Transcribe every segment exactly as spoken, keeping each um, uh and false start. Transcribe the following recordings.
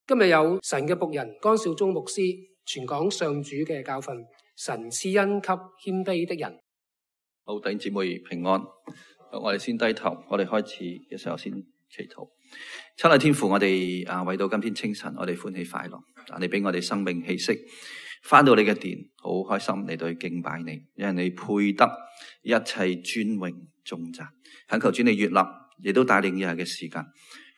今日有神嘅僕人江少忠牧師傳講上主嘅教訓，神賜恩給謙卑的人。好，弟兄姊妹平安。我哋先低頭，我哋開始嘅時候先祈禱。親愛天父，我哋啊為到今天清晨，我哋歡喜快樂。啊，你俾我哋生命氣息，翻到你嘅殿，好開心嚟到去敬拜你，因為你配得一切尊榮頌讚。懇求主你悅納，亦都帶領以下嘅時間。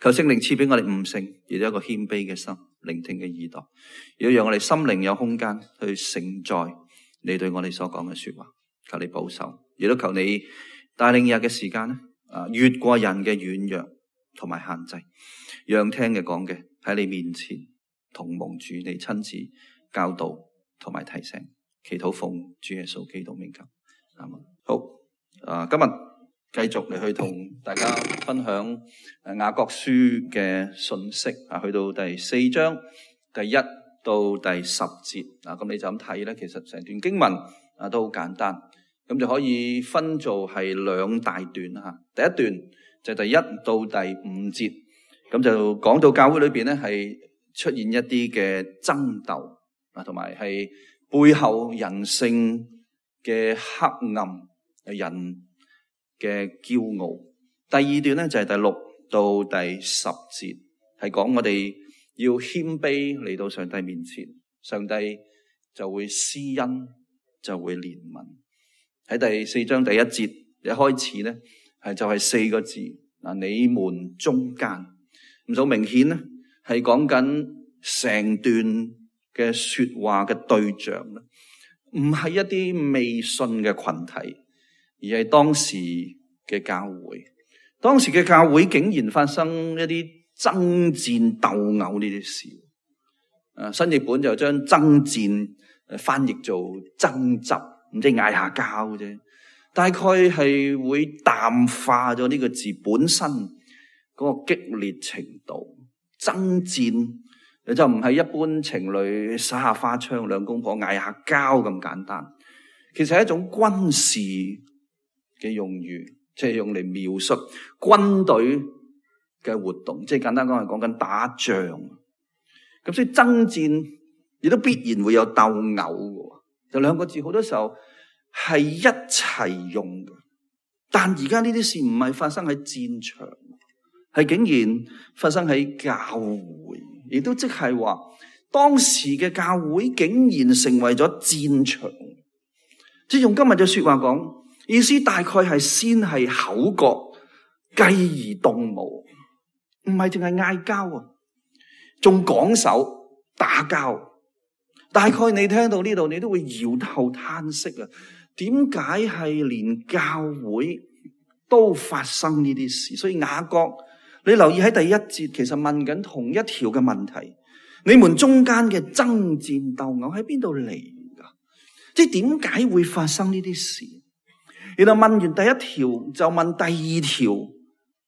求聖靈賜俾我哋悟性，亦都一個謙卑嘅心，聆聽嘅耳朵，亦都讓我哋心靈有空間去承載你對我哋所講嘅說話。求你保守，亦都求你帶領以下嘅時間咧，啊，越過人嘅軟弱同埋限制，讓聽嘅講嘅喺你面前同蒙主你親自教導同埋提醒。祈禱奉主耶穌基督名求，阿們。好，啊，今日繼續嚟去同大家分享誒雅各書嘅信息啊，去到第四章第一到第十節啊，咁你就咁睇咧，其實成段經文啊都好簡單，咁就可以分做係兩大段吓。第一段就係第一到第五節，咁就講到教會裏邊咧係出現一啲嘅爭鬥啊，同埋係背後人性嘅黑暗，人嘅驕傲。第二段咧就係第六到第十節，係講我哋要謙卑嚟到上帝面前，上帝就會施恩，就會憐憫。喺第四章第一節一開始咧，係就係四個字嗱，你們中間，咁就明顯咧係講緊成段嘅說話嘅對象啦，唔係一啲未信嘅群體，而係當時嘅教會。當時嘅教會竟然發生一啲爭戰鬥毆呢啲事。誒，新譯本就將爭戰誒翻譯做爭執，唔知嗌下交啫。大概係會淡化咗呢個字本身嗰個激烈程度。爭戰就唔係一般情侶耍下花槍，兩公婆嗌下交咁簡單。其實係一種軍事嘅用語，即係用嚟描述軍隊嘅活動，即係簡單講係講緊打仗。咁所以爭戰亦都必然會有鬥毆嘅，就兩個字好多時候係一齊用嘅。但而家呢啲事唔係發生喺戰場，係竟然發生喺教會，亦都即係話當時嘅教會竟然成為咗戰場。即係用今日嘅說話講，意思大概係先係口角，繼而動武，唔係淨係嗌交啊，仲講手打交。大概你聽到呢度，你都會搖頭嘆息啊！點解係連教會都發生呢啲事？所以雅各，你留意喺第一節，其實問緊同一條嘅問題：你們中間嘅爭戰鬥毆喺邊度嚟噶？即係點解會發生呢啲事？然後問完第一條，就問第二條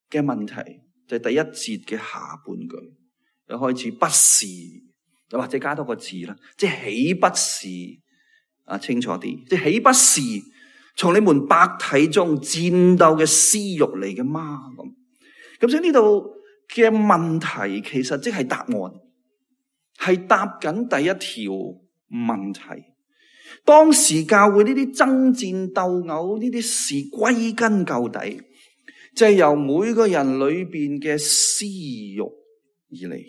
嘅問題，就係第一節嘅下半句，又開始不是，又或者加多個字啦，即係豈不是啊？清楚啲，即係豈不是從你們百體中戰鬥嘅私欲嚟嘅嗎？咁咁所以呢度嘅問題其實即係答案，係答緊第一條問題。當時教會呢啲爭戰鬥毆呢啲事歸根究底，就係由每個人裏邊嘅私欲而嚟。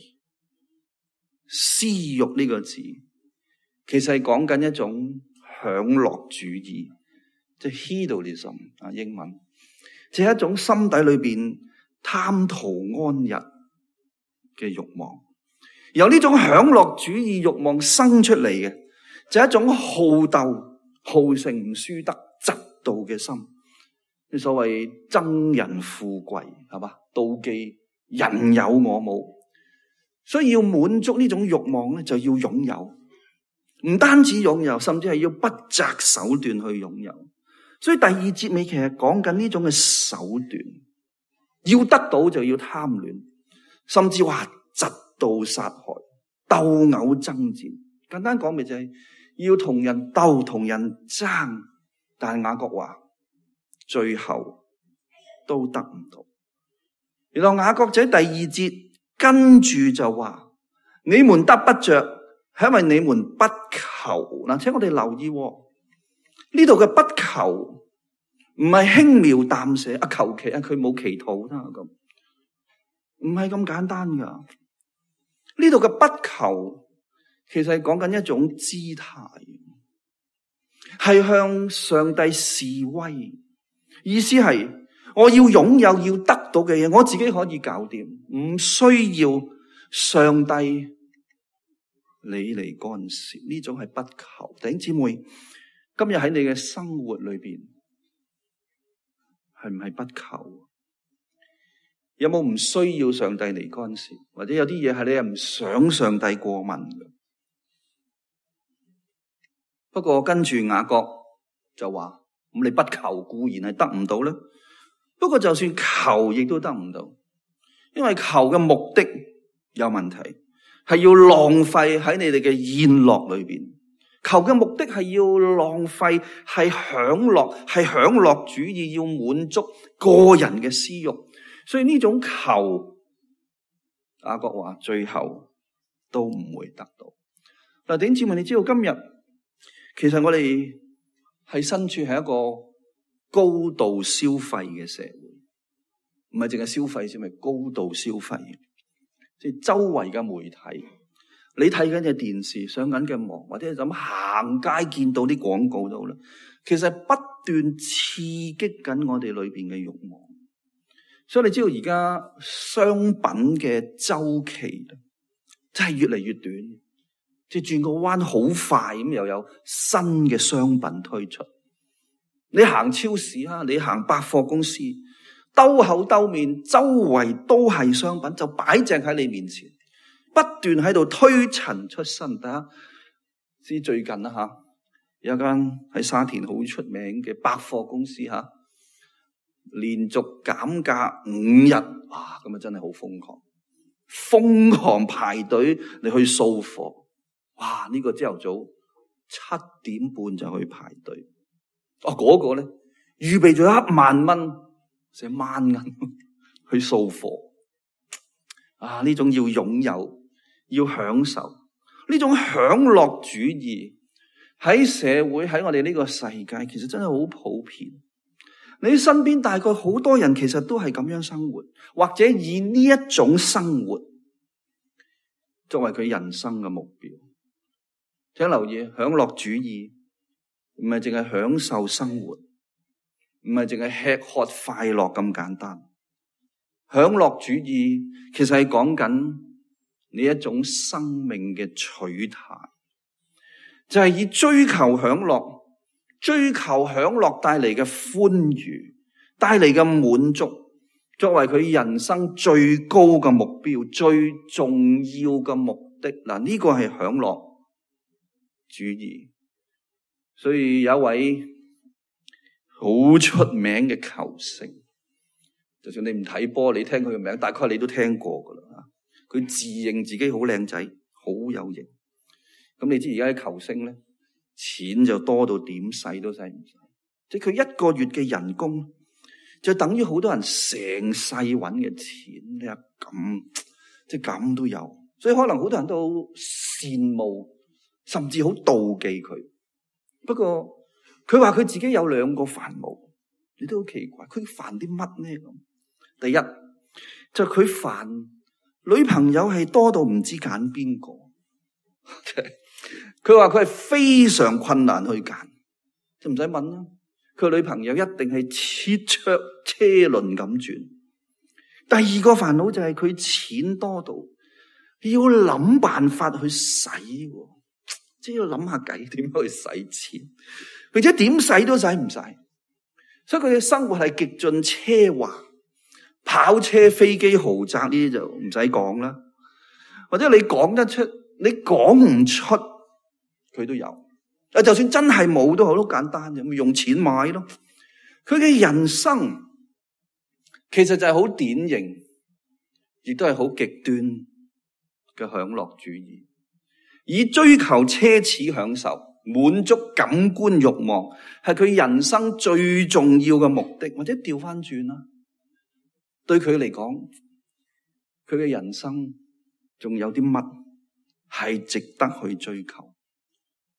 私欲呢個字其實係講緊一種享樂主義，即係 hedonism 啊，英文，即係一種心底裏邊貪圖安逸嘅欲望。由呢種享樂主義欲望生出嚟嘅，就係一種好鬥、好勝唔輸得、嫉妒嘅心。你所謂憎人富貴，係嘛？妒忌人有我冇，所以要滿足呢種欲望咧，就要擁有。唔單止擁有，甚至係要不擇手段去擁有。所以第二節尾其實講緊呢種嘅手段，要得到就要貪戀，甚至話嫉妒殺害、鬥毆爭戰。簡單講咪就係要同人鬥、同人爭，但係雅各話最後都得唔到。然後雅各仔第二節跟住就話：你們得不着，係因為你們不求。嗱，請我哋留意呢度嘅不求，唔係輕描淡寫啊，求其啊，佢冇祈禱啦咁，唔係咁簡單噶。呢度嘅不求，其實係講緊一種姿態，係向上帝示威，意思係我要擁有要得到嘅嘢，我自己可以搞掂，唔需要上帝你嚟干涉。呢種係不求。弟兄姊妹，今日喺你嘅生活裏邊，係唔係不求？有冇唔需要上帝嚟干涉？或者有啲嘢係你係唔想上帝過問嘅？不過跟住雅各就話：咁你不求固然係得唔到咧。不過就算求，亦都得唔到，因為求嘅目的有問題，係要浪費喺你哋嘅宴樂裏邊。求嘅目的係要浪費，係享樂，係享樂主義，要滿足個人嘅私欲。所以呢種求，雅各話最後都唔會得到。嗱，弟兄姊妹，你知道今日其實我哋係身處喺一個高度消費嘅社會，唔係淨係消費先，係高度消費。即係周圍嘅媒體，你睇緊嘅電視、上緊嘅網，或者係咁行街見到啲廣告度啦，其實不斷刺激緊我哋裏邊嘅慾望。所以你知道而家商品嘅周期真係越嚟越短，即係轉個彎好快咁，又有新嘅商品推出。你行超市啊，你行百貨公司，兜口兜面，周圍都係商品，就擺正喺你面前，不斷喺度推陳出新。大家知最近啦吓，有一間喺沙田好出名嘅百貨公司吓，連續減價五日，哇！咁啊真係好瘋狂，瘋狂排隊你去掃貨，哇！呢個朝頭早七點半就去排隊。哦，嗰個咧預備咗一萬蚊，成萬銀去掃貨。啊，呢種要擁有，要享受，呢種享樂主義喺社會，喺我哋呢個世界，其實真係好普遍。你身邊大概好多人其實都係咁樣生活，或者以呢一種生活作為佢人生嘅目標。請留意，享樂主義唔係淨係享受生活，唔係淨係吃喝快樂咁簡單。享樂主義其實係講緊你一種生命嘅取態，就係以追求享樂、追求享樂帶嚟嘅歡愉、帶嚟嘅滿足，作為佢人生最高嘅目標、最重要嘅目的。嗱，呢個係享樂主義。所以有一位好出名嘅球星，就算你唔睇波，你聽佢嘅名，大概你都聽過噶啦。佢自認自己好靚仔，好有型。咁你知而家啲球星咧，錢就多到點使都使唔晒。即係佢一個月嘅人工，就等於好多人成世揾嘅錢。你話咁，即係咁都有。所以可能好多人都好羨慕，甚至好妒忌佢。不過佢話佢自己有兩個煩惱，你都好奇怪，佢煩啲乜呢？咁第一就佢煩女朋友係多到唔知揀邊個，佢話佢係非常困難去揀，就唔使問啦。佢女朋友一定係切桌車輪咁轉。第二個煩惱就係佢錢多到要諗辦法去使。即係要諗下計點樣去使錢，並且點使都使唔晒，所以佢嘅生活係極盡奢華，跑車、飛機、豪宅呢啲就唔使講啦。或者你講得出，你講唔出，佢都有。啊，就算真係冇都好，都簡單嘅，咪用錢買咯。佢嘅人生其實就係好典型，亦都係好極端嘅享樂主義。以追求奢侈享受、滿足感官慾望，係佢人生最重要嘅目的。或者調翻轉啦，對佢嚟講，佢嘅人生仲有啲乜係值得去追求。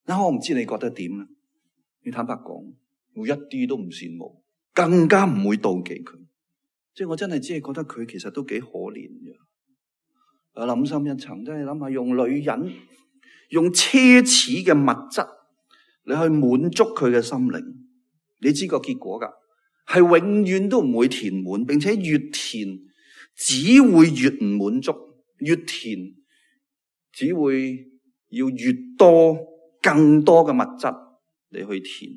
嗱，我唔知你覺得點啊？你坦白講，我一啲都唔羨慕，更加唔會妒忌佢。即係我真係只係覺得佢其實都幾可憐嘅。我諗深一層，真係諗下用女人，用奢侈嘅物質，你去滿足佢嘅心靈，你知個結果噶，係永遠都唔會填滿，並且越填只會越唔滿足，越填只會要越多更多嘅物質嚟去填。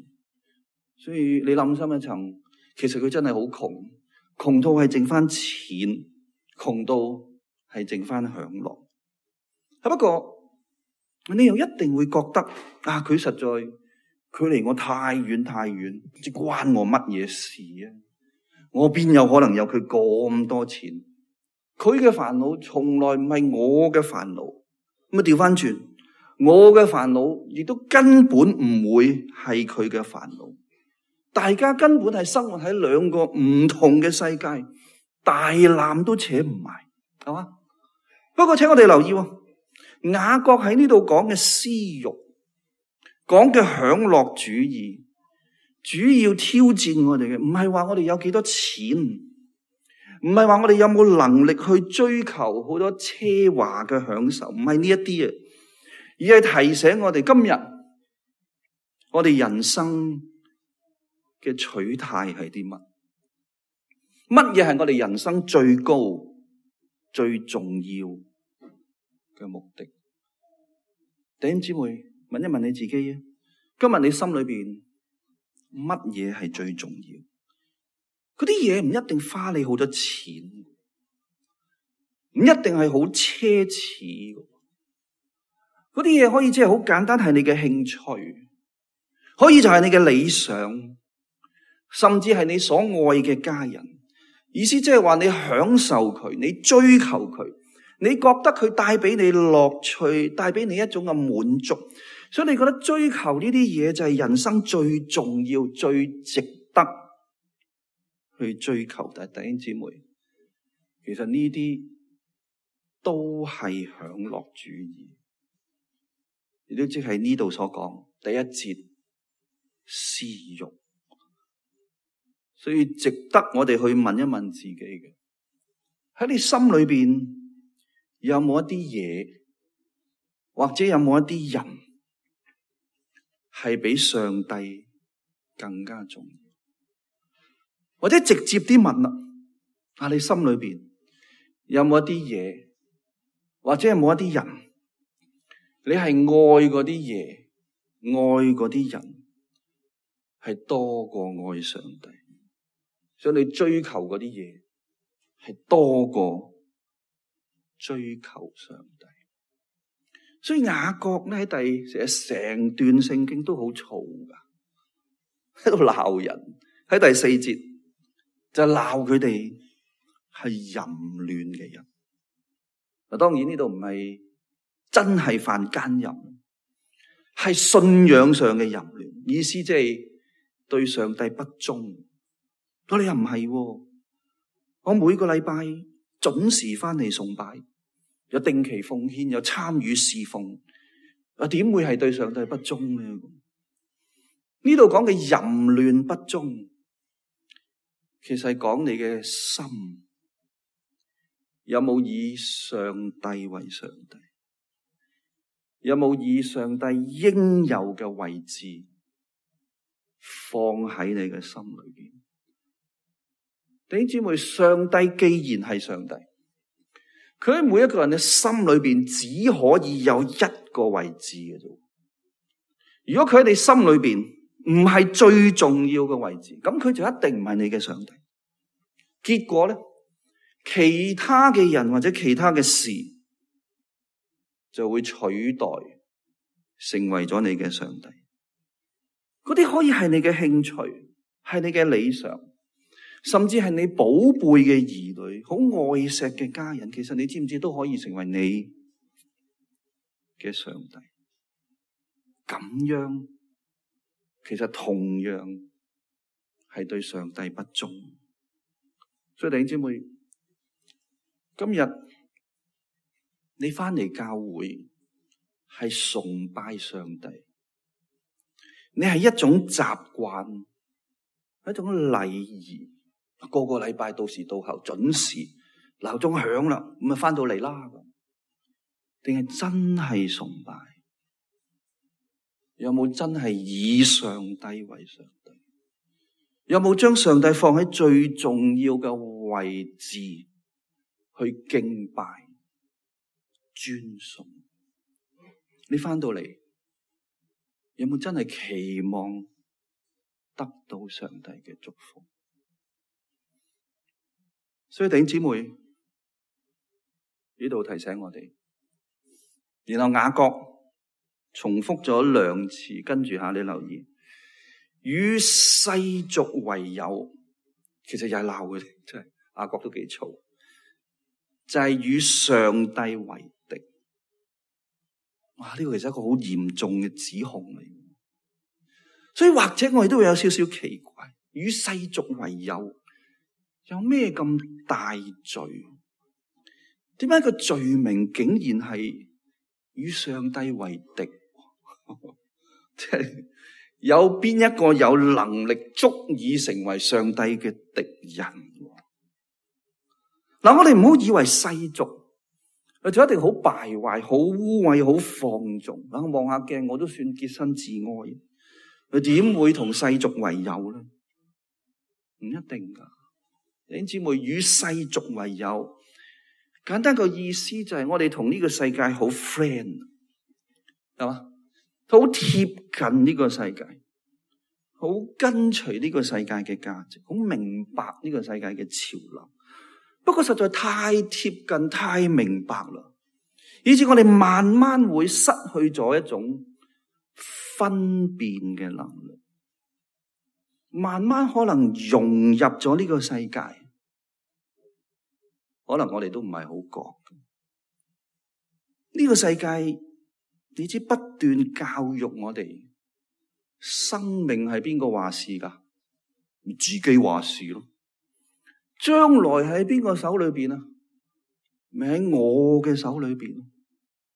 所以你諗深一層，其實佢真係好窮，窮到係剩翻錢，窮到係剩翻享樂。不過你又一定會覺得啊，佢實在距離我太遠太遠，即關我乜嘢事啊？我邊有可能有佢咁多錢？佢嘅煩惱從來唔係我嘅煩惱。咁啊調翻轉，我嘅煩惱亦都根本唔會係佢嘅煩惱。大家根本係生活喺兩個唔同嘅世界，大纜都扯唔埋，係嘛？不過請我哋留意，雅各喺呢度講嘅私欲，講嘅享樂主義，主要挑戰我哋嘅，唔係話我哋有幾多錢，唔係話我哋有冇能力去追求好多奢華嘅享受，唔係呢一啲啊，而係提醒我哋今日我哋人生嘅取態係啲乜？乜嘢係我哋人生最高、最重要嘅目的？弟兄姊妹，問一問你自己啊，今日你心裏邊乜嘢係最重要？嗰啲嘢唔一定花你好多錢，唔一定係好奢侈。嗰啲嘢可以即係好簡單，係你嘅興趣，可以就係你嘅理想，甚至係你所愛嘅家人。意思即係話你享受佢，你追求佢，你覺得佢帶俾你樂趣，帶俾你一種嘅滿足，所以你覺得追求呢啲嘢就係人生最重要、最值得去追求。但係弟兄姊妹，其實呢啲都係享樂主義，亦都即係呢度所講第一節私欲。所以值得我哋去問一問自己嘅，喺你心裏邊有冇一啲嘢，或者有冇一啲人係比上帝更加重要？或者直接啲問啦，啊，你心裏邊有冇一啲嘢，或者有冇一啲人，你係愛嗰啲嘢，愛嗰啲人係多過愛上帝？所以你追求嗰啲嘢係多過追求上帝。所以雅各咧喺第成成段聖經都好嘈噶，喺度鬧人。喺第四節就鬧佢哋係淫亂嘅人。嗱，當然呢度唔係真係犯奸淫，係信仰上嘅淫亂，意思即係對上帝不忠。我哋又唔係，我每個禮拜準時翻嚟崇拜，有定期奉獻，有參與侍奉，啊，點會係對上帝不忠咧？呢度講嘅淫亂不忠，其實係講你嘅心有冇以上帝為上帝，有冇以上帝應有嘅位置放喺你嘅心裏邊？弟兄姊妹，上帝既然係上帝，佢喺每一個人嘅心裏邊只可以有一個位置嘅啫。如果佢喺你心裏邊唔係最重要嘅位置，咁佢就一定唔係你嘅上帝。結果咧，其他嘅人或者其他嘅事就會取代成為咗你嘅上帝。嗰啲可以係你嘅興趣，係你嘅理想，甚至係你寶貝嘅兒女，好愛錫嘅家人，其實你知唔知都可以成為你嘅上帝？咁樣其實同樣係對上帝不忠。所以弟兄姊妹，今日你翻嚟教會，係崇拜上帝，你係一種習慣，一種禮儀，個個禮拜到時到候準時，鬧鐘響啦，咁咪翻到嚟啦。定係真係崇拜？有冇真係以上帝為上帝？有冇將上帝放喺最重要嘅位置去敬拜、尊崇？你翻到嚟有冇真係期望得到上帝嘅祝福？所以弟兄姊妹呢度提醒我哋，然後雅各重複咗兩次，跟住下你留意，與世俗為友，其實又係鬧嘅，真係雅各都幾嘈，就係、是、與上帝為敵。哇！呢、這個其實係一個好嚴重嘅指控嚟，所以或者我哋都會有少少奇怪，與世俗為友有咩咁大罪？點解個罪名竟然係與上帝為敵？即係有邊一個有能力足以成為上帝嘅敵人？嗱，我哋唔好以為世俗就一定好敗壞、好污穢、好放縱。啊，望下鏡，我都算潔身自愛，佢點會同世俗為友咧？唔一定噶。弟兄姊妹，與世俗為友，簡單個意思就係我哋同呢個世界好 friend， 係嘛？好貼近呢個世界，好跟隨呢個世界嘅價值，好明白呢個世界嘅潮流。不過實在太貼近、太明白啦，以致我哋慢慢會失去咗一種分辨嘅能力，慢慢可能融入咗呢個世界，可能我哋都唔係好覺。呢個世界，你知不斷教育我哋，生命係邊個話事噶？自己話事咯。將來喺邊個手裏邊啊？咪喺我嘅手裏邊，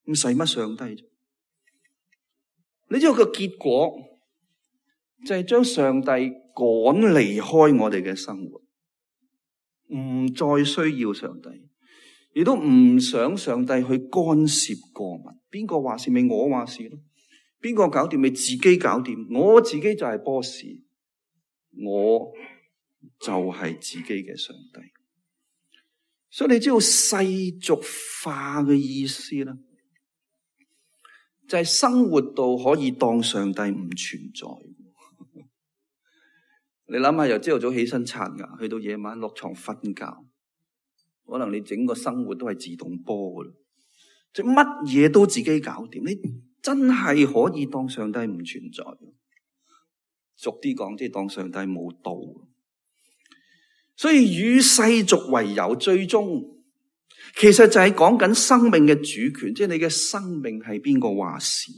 咁使乜上帝啫？你知道個結果就係將上帝趕離開我哋嘅生活，唔再需要上帝，亦都唔想上帝去干涉過問。邊個話事咪我話事咯？邊個搞掂咪自己搞掂？我自己就係 boss， 我就係自己嘅上帝。所以你知道世俗化嘅意思咧，就係生活到可以當上帝唔存在。你諗下，由朝頭早起身刷牙，去到夜晚落床瞓覺，可能你整個生活都係自動波噶啦，即係乜嘢都自己搞掂。你真係可以當上帝唔存在。俗啲講，即係當上帝冇到。所以與世俗為友，最終其實就係講緊生命嘅主權，即係你嘅生命係邊個話事？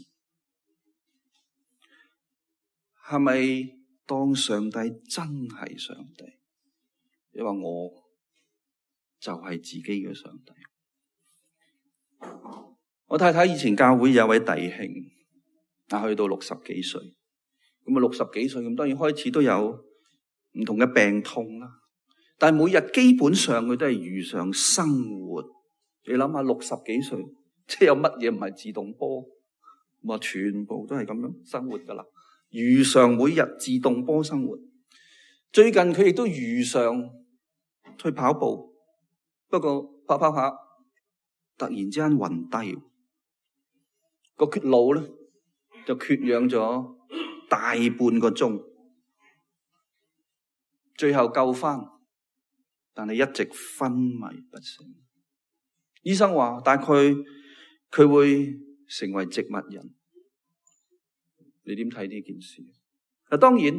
係咪當上帝真係上帝？你話我就係自己嘅上帝。我太太以前教會有位弟兄，啊，去到六十幾歲，咁啊六十幾歲咁，當然開始都有唔同嘅病痛啦。但係每日基本上佢都係如常生活。你諗下，六十幾歲，即係有乜嘢唔係自動波？咁啊，全部都係咁樣生活噶啦，如常每日自動波生活。最近佢亦都如常去跑步，不過跑跑下，突然之間暈低，個血腦咧就缺氧咗大半個鐘，最後救翻。但係一直昏迷不醒，醫生話大概佢會成為植物人。你點睇呢件事？嗱，當然，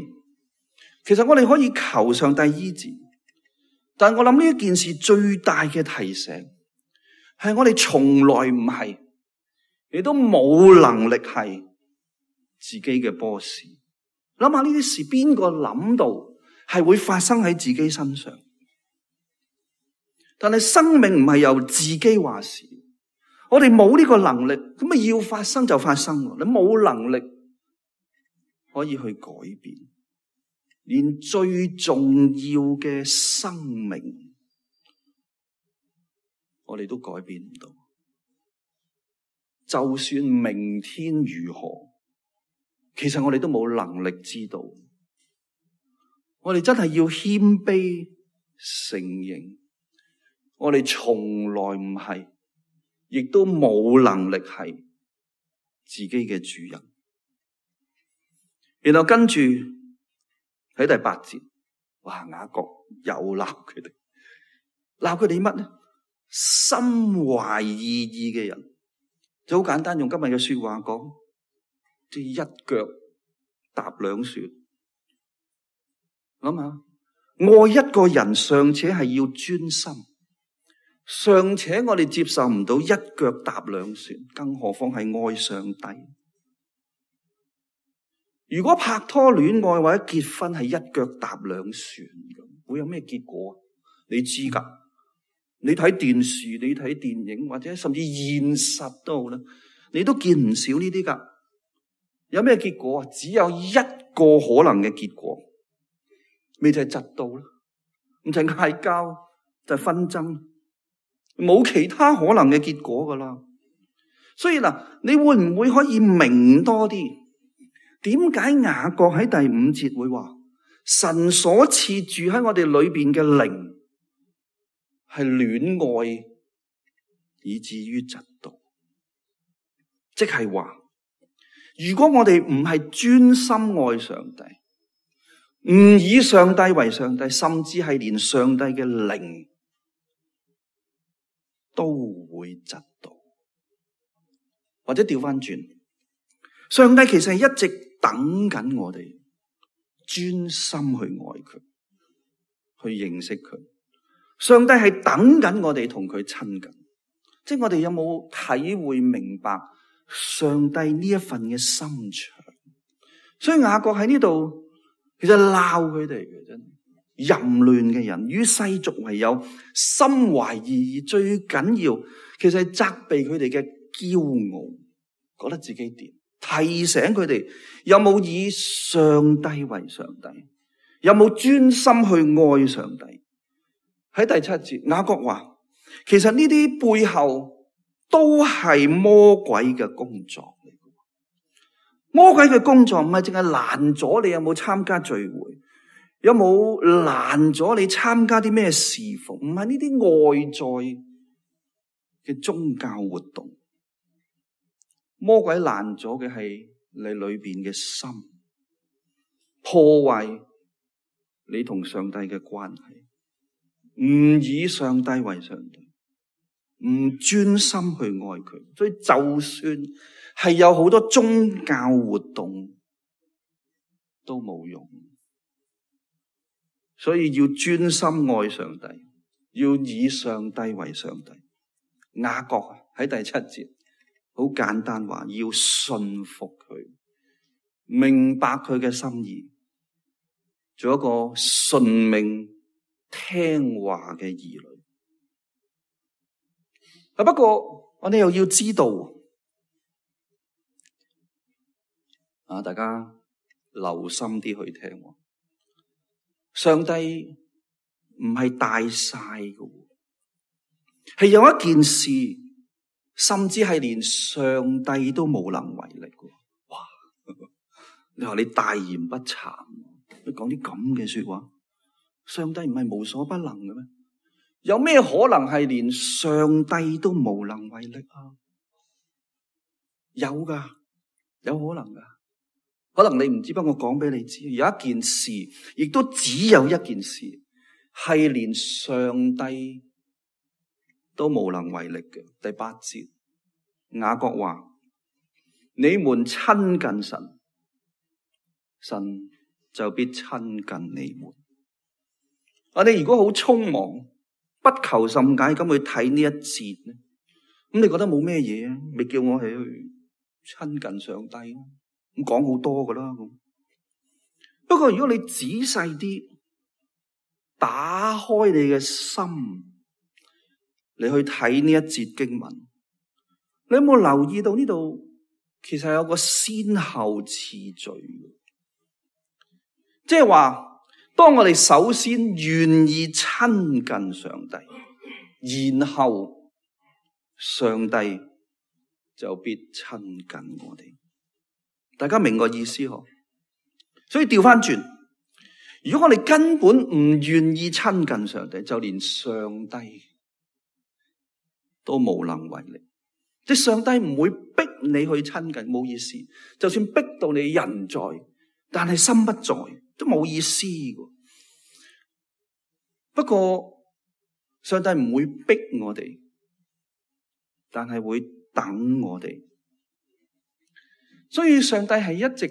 其實我哋可以求上帝醫治，但係我諗呢一件事最大嘅提醒係我哋從來唔係，亦都冇能力係自己嘅 boss。諗下呢啲事，邊個諗到係會發生喺自己身上？但係生命唔係由自己話事，我哋冇呢個能力，咁啊要發生就發生。你冇能力可以去改變，連最重要嘅生命，我哋都改變唔到。就算明天如何，其實我哋都冇能力知道。我哋真係要謙卑承認，我哋從來唔係，亦都冇能力係自己嘅主人。然後跟住喺第八節，哇！雅各又鬧佢哋，鬧佢哋乜呢？心懷二意嘅人，就好簡單，用今日嘅說話講，即係一腳踏兩船。諗下，愛一個人尚且係要專心，尚且我哋接受唔到一腳踏兩船，更何況係愛上帝。如果拍拖戀愛或者結婚係一腳踏兩船，會有咩結果？你知噶？你睇電視、你睇電影或者甚至現實都好啦，你都見唔少呢啲噶。有咩結果啊？只有一個可能嘅結果，咪就係嫉妒啦，唔就係嗌交，就係紛爭，冇其他可能嘅結果噶啦。所以嗱，你會唔會可以明多啲？點解雅各喺第五節會話神所賜住喺我哋裏邊嘅靈係戀愛以至於嫉妒？即係話，如果我哋唔係專心愛上帝，唔以上帝為上帝，甚至係連上帝嘅靈都會嫉妒，或者調翻轉，上帝其實係一直等緊我哋專心去愛佢，去認識佢。上帝係等緊我哋同佢親近，即係我哋有冇體會明白上帝呢一份嘅心腸？所以雅各喺呢度其實鬧佢哋嘅，真淫亂嘅人與世俗為友，心懷二意，最緊要其實係責備佢哋嘅驕傲，覺得自己掂。提醒佢哋有冇以上帝為上帝，有冇專心去愛上帝。喺第七節，雅各話，其實呢啲背後都係魔鬼嘅工作嚟嘅。魔鬼嘅工作唔係淨係攔咗你有冇參加聚會，有冇攔咗你參加啲咩侍奉，唔係呢啲外在嘅宗教活動。魔鬼攔咗嘅係你裏邊嘅心，破壞你同上帝嘅關係，唔以上帝為上帝，唔專心去愛佢，所以就算係有好多宗教活動都冇用。所以要專心愛上帝，要以上帝為上帝。雅各喺第七節好簡單話，要信服佢，明白佢嘅心意，做一個順命聽話嘅兒女。啊，不過我哋又要知道，啊，大家留心啲去聽。上帝唔係大晒嘅，係有一件事，甚至係連上帝都無能為力嘅。哇！你話你大言不慚，你講啲咁嘅說話，上帝唔係無所不能嘅咩？有咩可能係連上帝都無能為力啊？有噶，有可能噶。可能你唔知，不過我講俾你知，有一件事，亦都只有一件事，係連上帝都無能為力嘅。第八節，雅各話：你們親近神，神就必親近你們。我哋如果好匆忙，不求甚解咁去睇呢一節咧，咁你覺得冇咩嘢啊？咪叫我係去親近上帝咯？咁講好多噶啦。不過如果你仔細啲打開你嘅心，你去睇呢一節經文，你有冇留意到呢度其實有個先後次序？即係話，當我哋首先願意親近上帝，然後上帝就必親近我哋。大家明個意思嗬？所以調翻轉，如果我哋根本唔願意親近上帝，就連上帝都無能為力。即係上帝唔會逼你去親近，冇意思。就算逼到你人在，但係心不在，都冇意思嘅。不過上帝唔會逼我哋，但係會等我哋。所以上帝係一直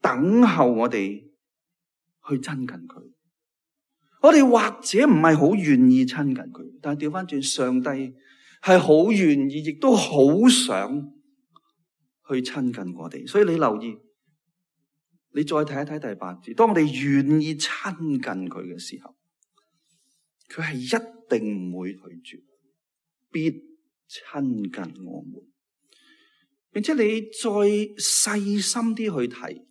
等候我哋去親近佢。我哋或者唔係好願意親近佢，但係調翻轉，上帝係好願意，亦都好想去親近我哋。所以你留意，你再睇一睇第八節，當我哋願意親近佢嘅時候，佢係一定唔會拒絕，必親近我們。並且你再細心啲去睇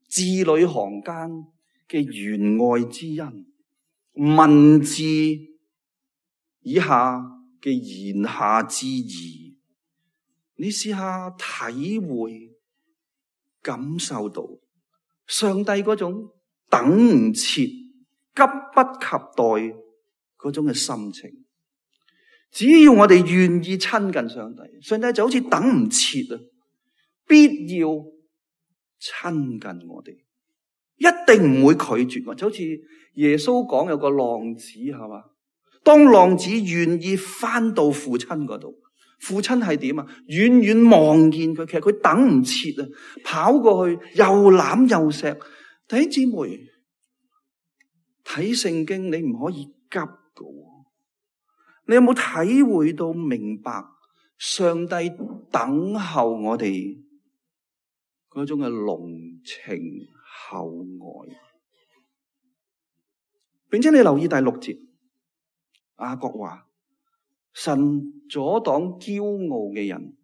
字裏行間嘅弦外之音，文字以下嘅言下之意，你試下體會感受到上帝嗰種等唔切、急不及待嗰種嘅心情。只要我哋願意親近上帝，上帝就好似等唔切啊，必要親近我哋，一定唔會拒絕我。就好似耶穌講有個浪子係嘛，當浪子願意翻到父親嗰度，父親係點啊？遠遠望見佢，其實佢等唔切啊，跑過去又攬又錫。弟兄姊妹，睇聖經你唔可以急㗎。你有冇體會到明白上帝等候我哋嗰種嘅濃情厚愛？並且你留意第六節，雅各話：神阻擋驕傲嘅人，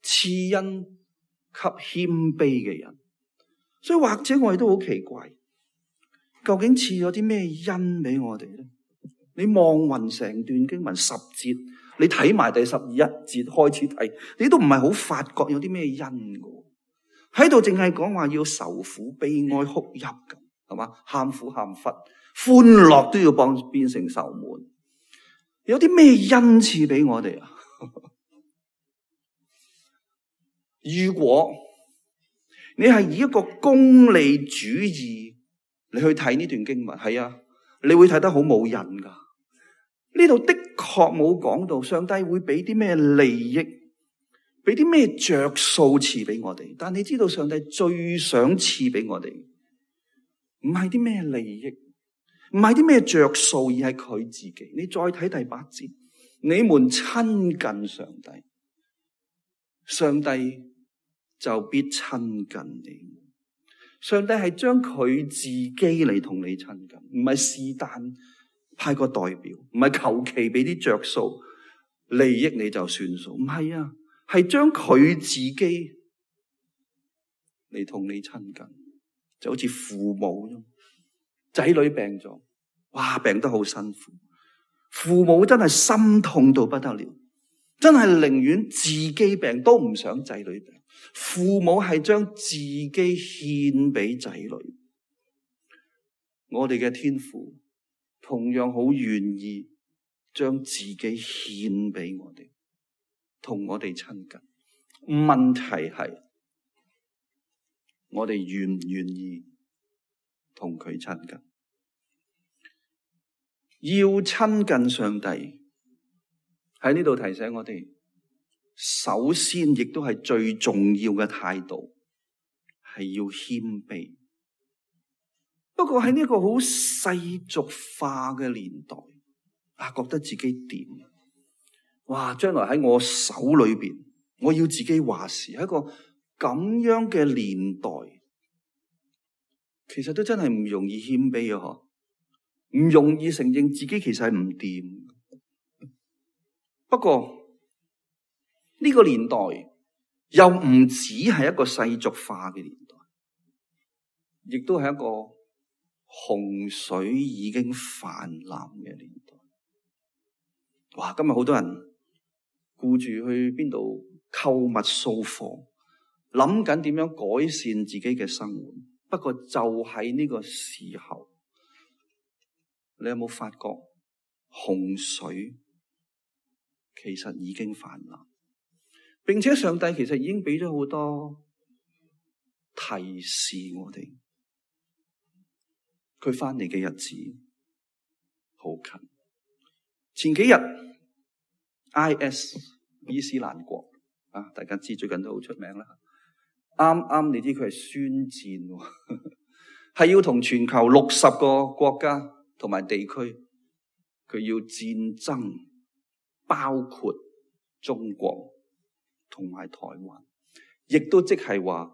賜恩給謙卑嘅人。所以或者我哋都好奇怪，究竟賜咗啲咩恩俾我哋咧？你望勻成段經文十節，你睇埋第十一節開始睇，你都唔係好發覺有啲咩恩㗎。喺度淨係講話要愁苦、悲哀、哭泣咁，係嘛？喊苦喊忽，歡樂都要幫變成愁悶。有啲咩恩賜俾我哋啊？如果你係以一個功利主義你去睇呢段經文，係啊，你會睇得好冇癮噶。呢度的確冇講到上帝會俾啲咩利益，俾啲咩着數賜俾我哋。但你知道上帝最想賜俾我哋，唔係啲咩利益，唔係啲咩着數，而係佢自己。你再睇第八節，你們親近上帝，上帝就必親近你。上帝係將佢自己嚟同你親近，唔係是但派個代表，唔係求其俾啲着數利益你就算數，唔係啊，係將佢自己嚟同你親近，就好似父母咁，仔女病咗，哇，病得好辛苦，父母真係心痛到不得了，真係寧願自己病都唔想仔女病。父母係將自己獻俾仔女，我哋嘅天父同樣好願意將自己獻俾我哋，同我哋親近。問題係我哋願唔願意同佢親近？要親近上帝，喺呢度提醒我哋，首先亦都係最重要嘅態度係要謙卑。不過喺呢個好世俗化嘅年代，啊，覺得自己掂，哇！將來喺我手裏邊，我要自己話事。喺一個咁樣嘅年代，其實都真係唔容易謙卑啊！嗬，唔容易承認自己其實係唔掂。不過，呢個年代又唔只係一個世俗化嘅年代，亦都係一個洪水已經泛濫嘅年代。哇！今日好多人顧住去邊度購物掃貨，諗緊點樣改善自己嘅生活。不過就喺呢個時候，你有冇發覺洪水其實已經泛濫，並且上帝其實已經俾咗好多提示我哋，佢翻嚟嘅日子好近。前幾日 I S 伊斯蘭國啊，大家知最近都好出名啦。啱啱你知佢係宣戰，係要同全球六十個國家同埋地區，佢要戰爭，包括中國同埋台灣，亦都即係話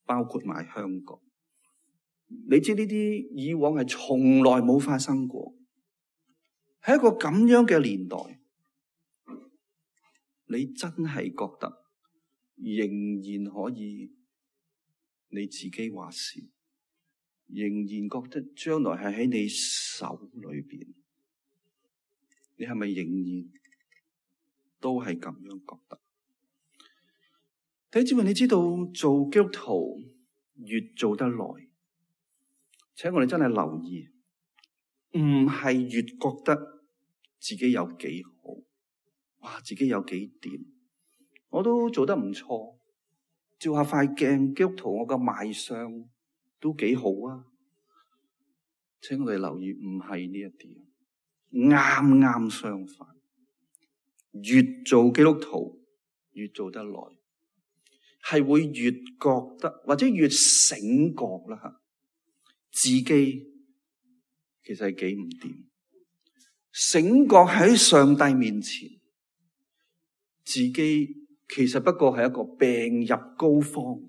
包括埋香港。你知呢啲以往係從來冇發生過。喺一個咁樣嘅年代，你真係覺得仍然可以你自己話事，仍然覺得將來係喺你手裏邊，你係咪仍然都係咁樣覺得？弟兄姊妹，你知道做基督徒越做得耐，請我哋真係留意，唔係越覺得自己有幾好，哇！自己有幾掂，我都做得唔錯，照下塊鏡，基督徒我個賣相都幾好啊！請我哋留意，唔係呢一啲，啱啱相反，越做基督徒越做得耐，係會越覺得或者越醒覺啦吓，自己其實係幾唔掂。醒覺喺上帝面前，自己其實不過係一個病入膏肓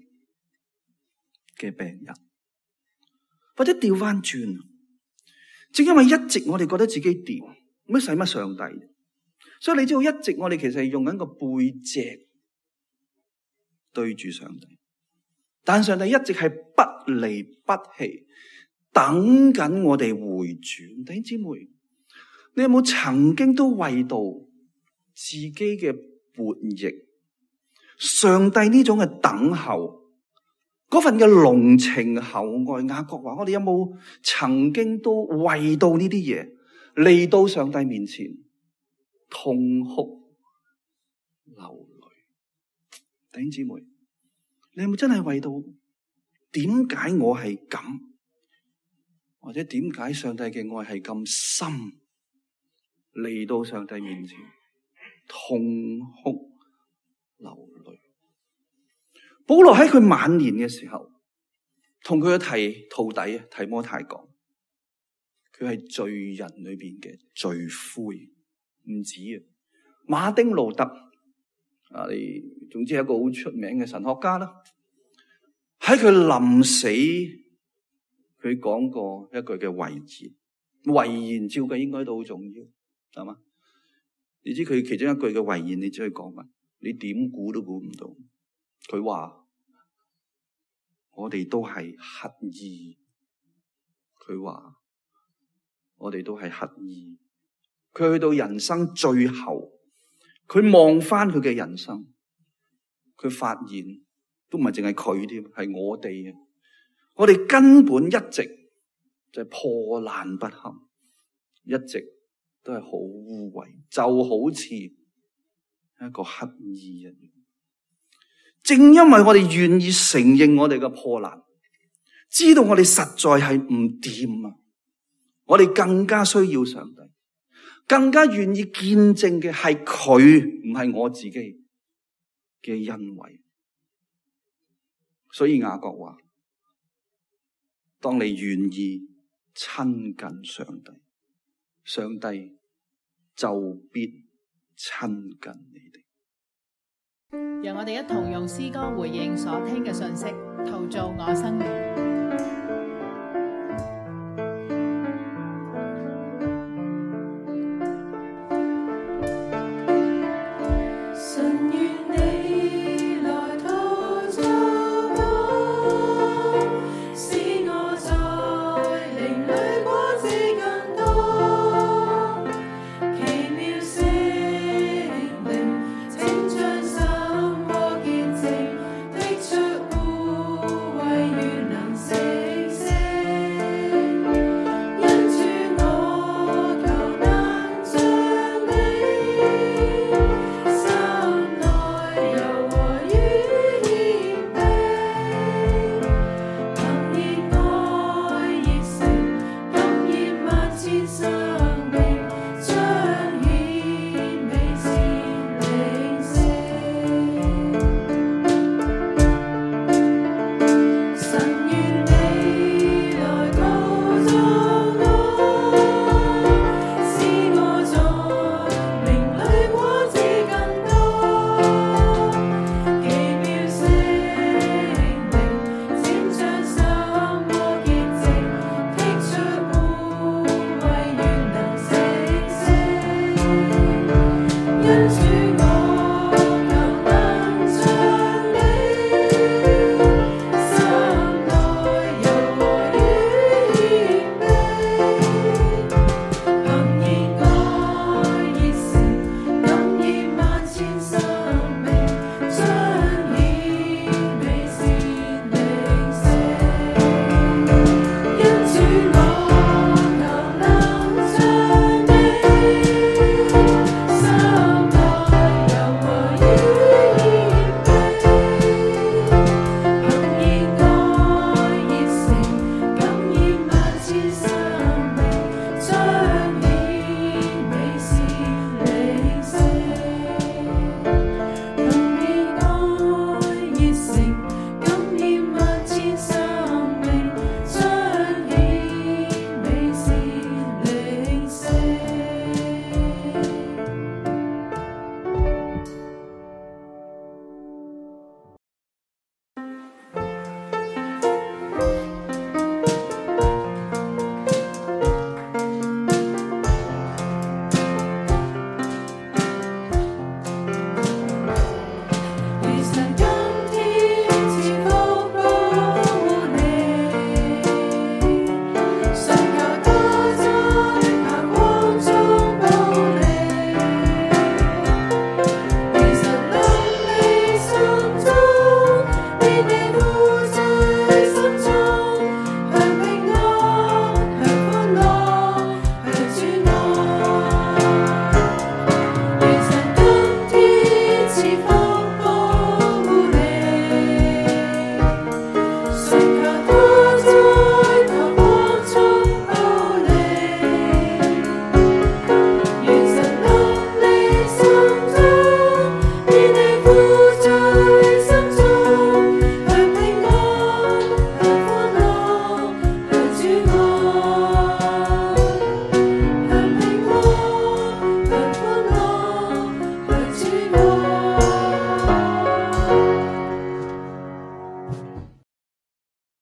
嘅病人，或者調翻轉，正因為一直我哋覺得自己掂，乜使乜上帝？所以你知道一直我哋其實係用緊個背脊對住上帝，但上帝一直係不離不棄，等緊我哋回轉。弟兄姊妹，你有冇曾經都為到自己嘅悖逆，上帝呢種嘅等候，嗰份嘅濃情厚愛？雅各話：我哋有冇曾經都為到呢啲嘢嚟到上帝面前痛哭流淚？弟兄姊妹，你有冇真係為到點解我係咁，或者點解上帝嘅愛係咁深？嚟到上帝面前痛哭流淚。保羅喺佢晚年嘅時候，同佢嘅提徒弟啊提摩太講，佢係罪人裏邊嘅罪魁，唔止啊。馬丁路德啊，你總之係一個好出名嘅神學家啦。喺佢臨死，佢講過一句嘅遺言，遺言照計應該都好重要。係嘛？你知佢其中一句嘅遺言，你知佢講乜？你點估都估唔到。佢話我哋都係乞兒。佢話我哋都係乞兒。佢去到人生最後，佢望翻佢嘅人生，佢發現都唔係淨係佢添，係我哋啊！我哋根本一直就係破爛不堪，一直都係好污穢，就好似一個乞兒一樣。正因為我哋願意承認我哋嘅破爛，知道我哋實在係唔掂啊，我哋更加需要上帝，更加願意見證嘅係佢，唔係我自己嘅恩惠。所以雅各話：當你願意親近上帝，上帝就必親近你哋。讓我哋一同用詩歌回應所聽嘅信息，陶造我生命。神與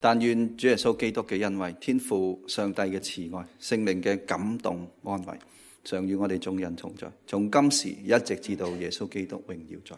但願主耶穌基督嘅恩惠、天父上帝嘅慈愛、聖靈嘅感動安慰，常與我哋眾人同在，從今時一直至到耶穌基督榮耀在。